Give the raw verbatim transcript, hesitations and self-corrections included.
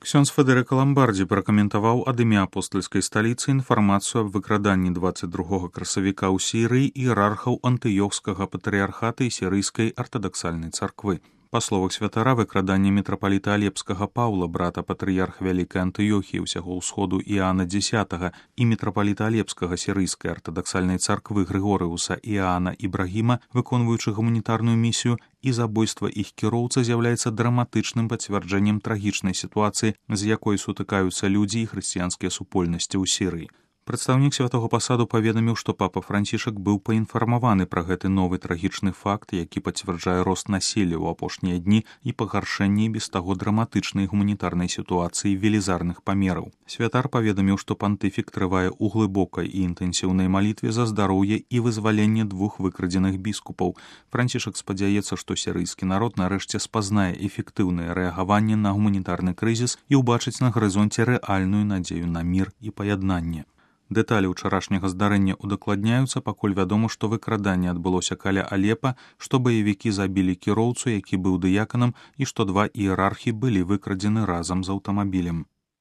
Ксёндз Федэрыка Ламбардзі пракаментаваў ад імя апостальскай сталіцы інфармацыю аб выкраданні дваццаць другога красавіка ў Сірыі іерархаў антыёхскага патрыярхата і сірыйскай артадаксальнай царквы. Па словах святара, выкраданне мітрапаліта Алепскага Паўла, брата патрыярха Вялікай Антыёхіі ўсяго ўсходу Іаана Дзесятага і мітрапаліта Алепскага сірыйскай артадаксальнай царквы Грыгорыуса Іаана Ібрагіма, выконваючы гуманітарную місію, і забойства іх кіроўца з'яўляецца драматычным пацвярджэннем трагічнай сітуацыі, з якой сутыкаюцца людзі і хрысціянскія супольнасці ў Сірыі. Прадстаўнік святого пасаду паведаміў, што папа Францішак быў паінфармаваны пра гэты новы трагічны факт, які пацвярджае рост насілля ў апошнія дні і пагаршэнне без таго драматычнай гуманітарнай сітуацыі велізарных памераў. Святар паведаміў, што пантыфік трывае ў глыбокай і інтэнсіўнай малітве за здароўе і вызваленне двух выкрадзеных біскупаў. Францішак спадзяецца, што сірыйскі народ нарэшце спазнае эфектыўнае рэагаванне на гуманітарны крызіс і ўбачыць на гарызонце рэальную надзею на мір і паяднанне. Дэталі ўчарашняга здарэння удакладняюцца, пакуль вядома, што выкраданне адбылося каля Алепа, што баевікі забілі кіроўцу, які быў дыяканам, і што два іерархі былі выкрадзены разам з аўтамабілем.